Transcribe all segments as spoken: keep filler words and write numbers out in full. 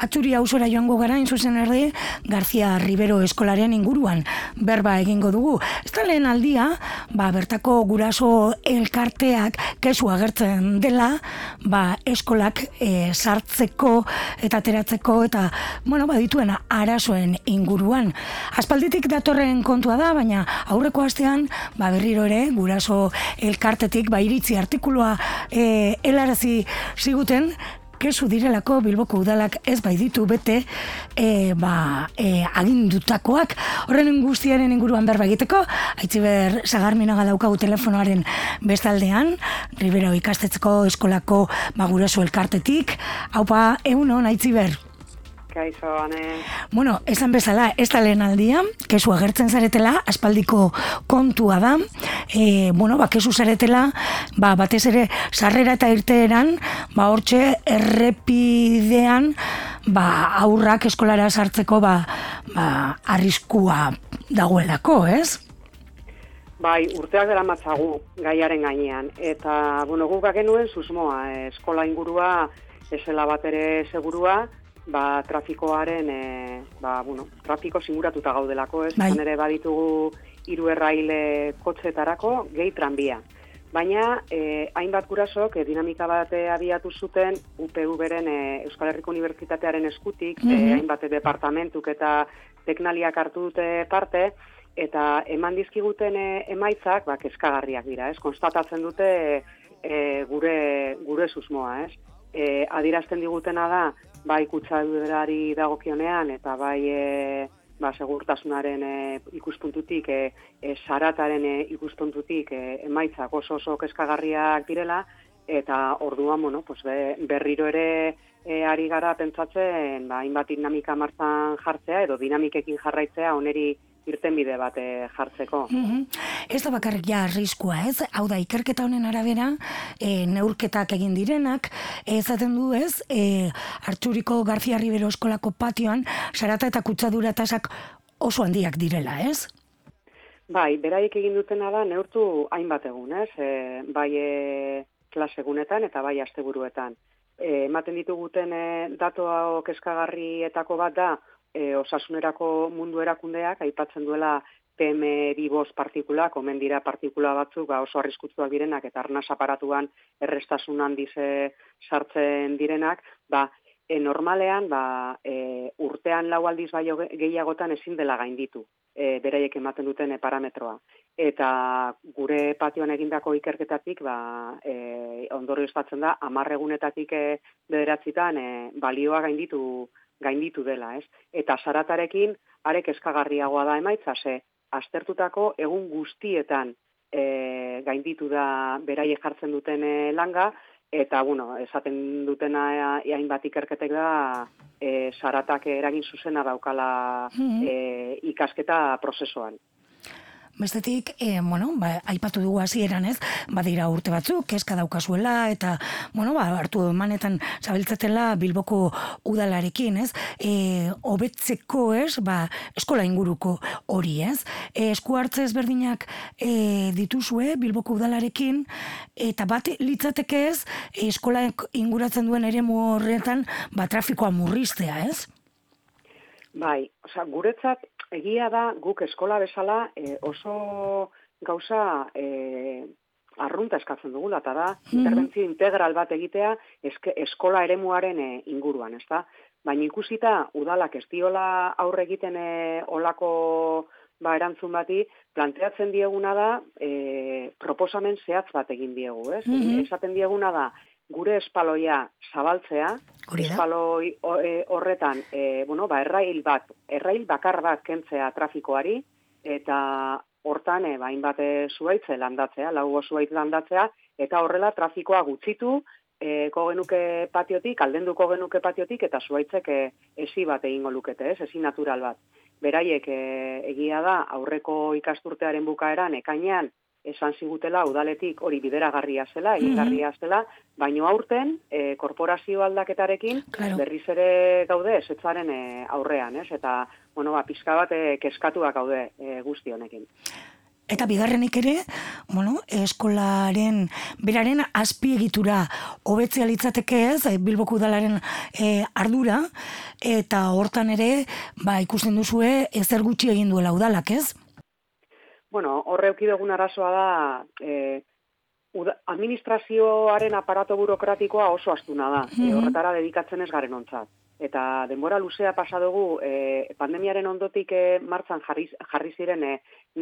Atzuri auzora joango gara, in zuzen erdi, García Rivero eskolaren inguruan berba egingo dugu. Ez da lehen aldia, ba, bertako guraso elkarteak kesu agertzen dela, ba, eskolak e, sartzeko eta ateratzeko eta, bueno, ba, dituen arazoen inguruan. Aspalditik datorren kontua da, baina aurreko astean, ba, berriro ere, guraso elkartetik, ba, iritzi artikulua e, helarazi ziguten, kesu direlako Bilboko udalak ez baititu bete e, ba, e, agindutakoak. Horren guztiaren inguruan berba egiteko, Aitziber Sagarminaga daukagu telefonoaren bestaldean, Rivero ikastetxeko eskolako ba, guraso elkartetik. Haupa, egunon, Aitziber. Kaixo, ane. Bueno, esan bezala, ez da lehen aldia, kesu agertzen zaretela, aspaldiko kontua da, e, bueno, ba, kesu zaretela, ba, batez ere, sarrera eta irteeran, ba, hortxe, errepidean, ba, aurrak eskolara sartzeko, ba, ba, arriskua dagoelako, ez? Bai, urteak dela matzagu gaiaren gainean, eta, bueno, guk bagenuen susmoa, eskola ingurua, esela bat ere segurua, ba, trafikoaren, e, ba, bueno, trafiko singuratuta gaudelako, ez? Bai. Ere baditugu hiru erraile kotxetarako, gehi tranbia. Baina, e, hainbat gurasok, e, dinamika bat abiatu zuten, U P V-ren e, Euskal Herriko Unibertsitatearen eskutik, mm-hmm. e, hainbat departamentuk eta teknaliak hartu dute parte, eta eman dizkiguten e, emaitzak, ba, kezkagarriak dira, ez? Konstatatzen dute e, gure, gure susmoa, ez? E, adirazten digutena da, bai kutsaduderari dagokionean eta bai e, ba, segurtasunaren e, ikuspuntutik, e, e, sarataren e, ikuspuntutik e, emaitzak oso oso kezkagarriak direla, eta orduan, bueno, pues be, berriro ere e, ari gara pentsatzen, ba, hainbat dinamika martzan jartzea edo dinamikekin jarraitzea oneri irtenbide bat e, jartzeko. Mm-hmm. Ez da bakarrik ja arriskua, ez? Hau da, ikerketa honen arabera, e, neurketak egin direnak, ezaten du ez, e, Artxuriko García Rivero eskolako patioan, sarata eta kutsadura tasak oso handiak direla, ez? Bai, beraiek egin dutena da, neurtu hainbat egun, ez? E, bai e, klasegunetan eta bai asteburuetan. E, ematen dituguten e, datoa kezkagarrietako bat da, E, osasunerako mundu erakundeak aipatzen duela P M bi bost partikulak, omen dira partikula batzuk ba, oso arriskutsuak direnak eta arnas aparatuan errestasun handiz sartzen direnak, ba, e, normalean ba, e, urtean lau aldiz baino gehiagotan ezin dela gainditu, e, beraiek ematen duten e, parametroa. Eta gure patioan egindako ikerketatik ba, e, ondorio estatzen da, hamar egunetatik e, bederatzitan e, balioa gainditu gainditu dela, ez? Eta saratarekin, arek eskagarriagoa da emaitza, ze, aztertutako egun guztietan e, gainditu da beraiek jartzen duten e, langa, eta, bueno, esaten dutena hainbat ikerketek da, e, saratak eragin zuzena daukala e, ikasketa prozesuan. Bestetik, e, bueno, ba, aipatu dugu hasieran ez, badira urte batzuk, kezka daukazuela, eta, bueno, ba, hartu emanetan zabiltzatela Bilboko udalarekin, ez, e, hobetzeko ez, ba, eskola inguruko hori, ez, e, esku hartze ezberdinak e, dituzue Bilboko udalarekin, eta bat litzateke ez, eskola inguratzen duen eremu horretan, ba, trafikoa murriztea, ez? Bai, osea, guretzat, egia da, guk eskola bezala e, oso gauza e, arrunta eskatzen dugula, eta da, mm-hmm. interbentzio integral bat egitea eske, eskola eremuaren e, inguruan, ezta? Baina ikusita, udalak ez diola aurre egiten e, olako ba, erantzun bati, planteatzen dieguna da, e, proposamen zehatz bat egin diegu, ez? Mm-hmm. Esaten dieguna da, gure espaloia zabaltzea, espaloi horretan, e, bueno, ba, errail bat, errail bakar bat kentzea trafikoari, eta hortan, e, bain bat zuaitze landatzea, laugo zuaitz landatzea, eta horrela trafikoa gutxitu, e, kogenuke patiotik, aldenduko genuke patiotik, eta zuaitzek e, esi bat egingo lukete, ez, esi natural bat. Beraiek e, egia da, aurreko ikasturtearen bukaeran, ekainean, esan zigutela udaletik hori bideragarria zela, egingarria zela, baino aurten, e, korporazio aldaketarekin, claro. Berriz ere gaude esetzaren e, aurrean, ez? Eta, bueno, ba, pixka bat e, keskatuak gaude e, guzti honekin. Eta bigarrenik ere, bueno, eskolaren beraren azpiegitura hobetzea litzateke ez, Bilboko udalaren e, ardura, eta hortan ere, ba, ikusten duzue, ezer gutxi egin duela udalak, ez? Bueno, horre eukidegun arazoa da, e, uda, administrazioaren aparato burokratikoa oso astuna da, mm-hmm. e, horretara dedikatzen ez garen ontzat. Eta denbora luzea pasa dugu, e, pandemiaren ondotik e, martzan jarri, jarri ziren e,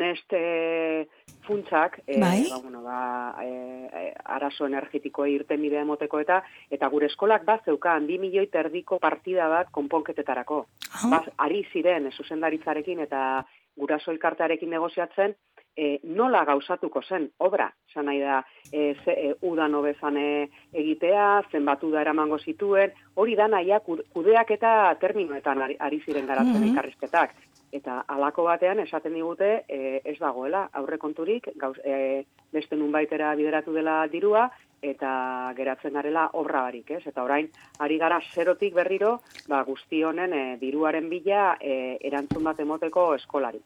nest e, funtsak, e, bai? ba, bueno, ba, e, arazo energetikoa irten bidea emoteko eta eta gure eskolak bat zeukan, bi milioi terdiko partida bat konponketetarako. Oh. Baz, ari ziren, e, zuzendaritzarekin eta guraso elkartearekin negoziatzen, E, nola gauzatuko zen obra, esan nahi da, e, ze, e, udan hobezan e, egitea, zenbat uda eramango zituen, hori da nahiak kudeak eta terminoetan ari, ari ziren garatzen mm-hmm. elkarrizketak. Eta halako batean esaten digute e, ez dagoela aurrekonturik, gauz, e, beste nunbaitera bideratu dela dirua, eta geratzen garela obra barik, ez? Eta orain, ari gara zerotik berriro, ba, guzti honen e, diruaren bila e, erantzun bat emoteko eskolari.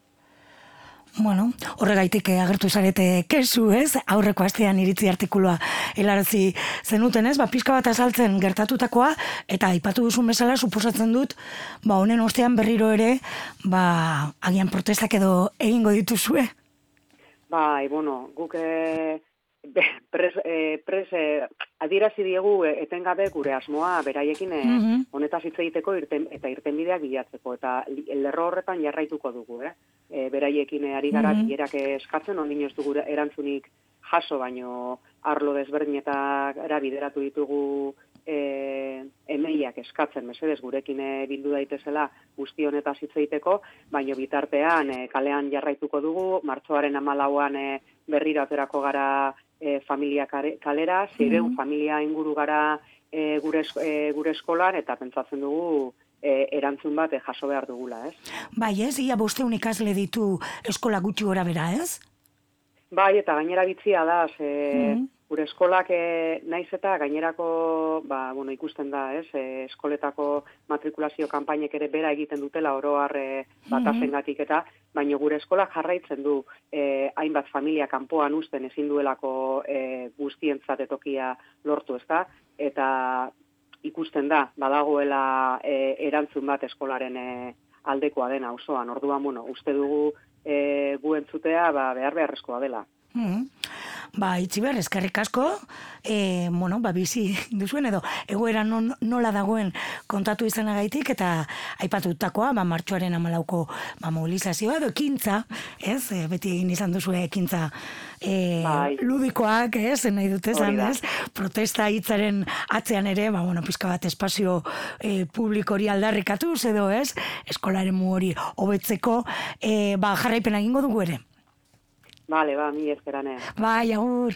Bueno, horregaitik agertu zarete kesu, ez? Aurreko astean iritzi artikulua helarazi zenuten, ez? Ba, pixka bat azaltzen gertatutakoa, eta aipatu duzun bezala, suposatzen dut, ba, honen ostean berriro ere, ba, agian protestak edo egingo dituzue? Bai, bueno, guk e, pres, e, pres e, adierazi diegu etengabe gure asmoa beraiekin e, mm-hmm. honetaz hitz egiteko irten, eta irtenbideak bilatzeko, eta lerro horretan jarraituko dugu, eh? E, beraiekin ari gara mm-hmm. bilerak eskatzen, ondin ez dugu erantzunik jaso, baino arlo desberdinetara bideratu ditugu e, emeiak eskatzen, mesedez gurekin e, bildu daitezela guzti honetaz hitz egiteko, baino bitartean e, kalean jarraituko dugu, martxoaren hamalauan e, berriro aterako gara e, familia kalera, zireun mm-hmm. familia inguru gara e, gure, e, gure eskolan, eta pentsatzen dugu E, erantzun bat e, jaso behar dugula, ez? Bai, ez? Ia bosteun ikasle ditu eskola gutxi gora bera, ez? Bai, eta gainera bitzia da, ze, mm-hmm. gure eskolak e, naiz eta gainerako, ba, bueno, ikusten da, ez? E, eskoletako matrikulazio kanpainek ere bera egiten dutela oroar e, batasengatik eta, baina gure eskola jarraitzen du e, hainbat familia kanpoan uzten ezin duelako e, guztientzat etokia lortu, ezta? Eta ikusten da, badagoela e, erantzun bat eskolaren e, aldekoa dena osoan. Orduan, bueno, uste dugu e, gu entzutea ba, behar beharrezkoa dela. Mm-hmm. Ba, Itziber, eskerrik asko, e, bueno, ba, bizi duzuen edo, egoera non, nola dagoen kontatu izanagaitik, eta aipatutakoa, ba, martxoaren hamalauko ba, mobilizazioa, edo ekintza, ez, e, beti egin izan duzue ekintza e, bai. ludikoak, ez, nahi dut esan, ez, protesta hitzaren atzean ere, ba, bueno, pizka bat espazio e, publiko hori aldarrikatuz, edo, ez, eskolaren mu hori hobetzeko, e, ba, jarraipena egingo dugu ere. Vale, ba, mi ezkeranea. Bai, agur.